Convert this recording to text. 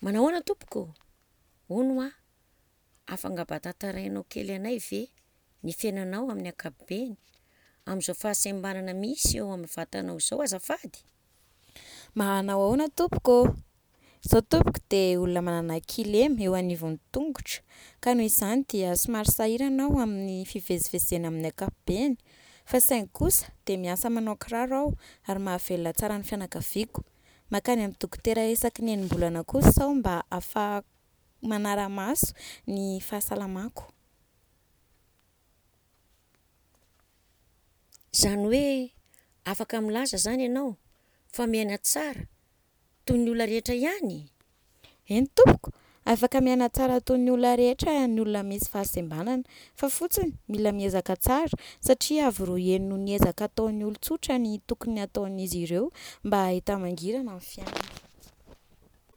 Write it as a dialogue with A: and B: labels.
A: Manahoana tompoko? Hono hoa, afaka mba tantarainao kely anay ve ny fiainanao amin'ny ankapobeny amin'izao fahasembanana misy eo amin'ny vatanao izao azafady?
B: Manao ahoana tompoko ô! Zaho tompoko dia olona manana kilema eo anivon'ny tongotra ka noho izany dia somary sahirana aho amin'ny fivezivezena amin'ny ankapobeny. Fa saingy kosa dia miasa manao kiraro aho ary mahavelona tsara ny fianakaviako. Mankany amin'ny dokotera isaky ny enim-bolana kosa aho mba ahafahako manara-maso ny fahasalamako.
A: Izany hoe afaka milaza izany ianao fa miaina tsara toy ny olona rehetra ihany?
B: Eny tompoko, afaka miaina tsara toy ny olona rehetra ny olona misy fahasembanana fa fotsiny mila miezaka tsara satria avo roa heny noho ny ezaka ataon'ny olon-tsotra ny tokony ataon'izy ireo mba hahita mangirana ny fiainana.